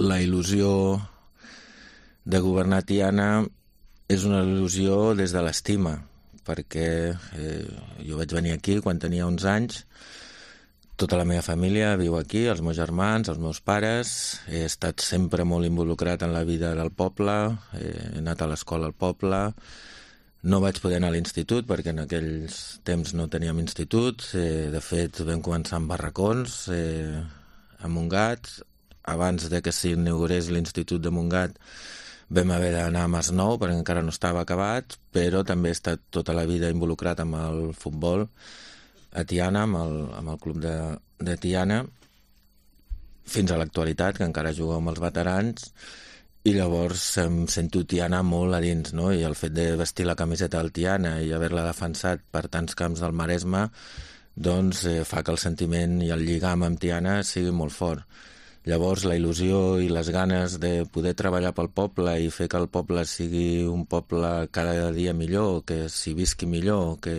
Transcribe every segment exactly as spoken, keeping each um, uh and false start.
la il·lusió de governar Tiana és una il·lusió des de l'estima, perquè eh, jo vaig venir aquí quan tenia onze anys, tota la meva família viu aquí, els meus germans, els meus pares, he estat sempre molt involucrat en la vida del poble, he anat a l'escola al poble, no vaig poder anar a l'institut perquè en aquells temps no teníem institut, eh, de fet vam començar amb barracons, eh, a Montgat, abans de que s'inaugurés l'Institut de Montgat vam haver d'anar a Masnou perquè encara no estava acabat, però també he estat tota la vida involucrat amb el futbol a Tiana, amb el, amb el club de, de Tiana, fins a l'actualitat, que encara jugo amb els veterans, i llavors em sento Tiana molt a dins, no? I el fet de vestir la camiseta del Tiana i haver-la defensat per tants camps del Maresme, doncs eh, fa que el sentiment i el lligam amb Tiana sigui molt fort. Llavors, la il·lusió i les ganes de poder treballar pel poble i fer que el poble sigui un poble cada dia millor, que s'hi visqui millor, que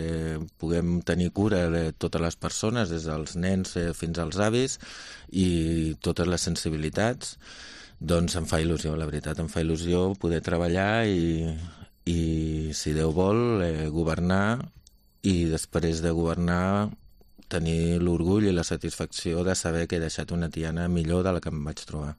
puguem tenir cura de totes les persones, des dels nens fins als avis, i totes les sensibilitats, doncs em fa il·lusió, la veritat, em fa il·lusió poder treballar i, i si Déu vol, eh, governar, i després de governar tenir l'orgull i la satisfacció de saber que he deixat una Tiana millor de la que em vaig trobar.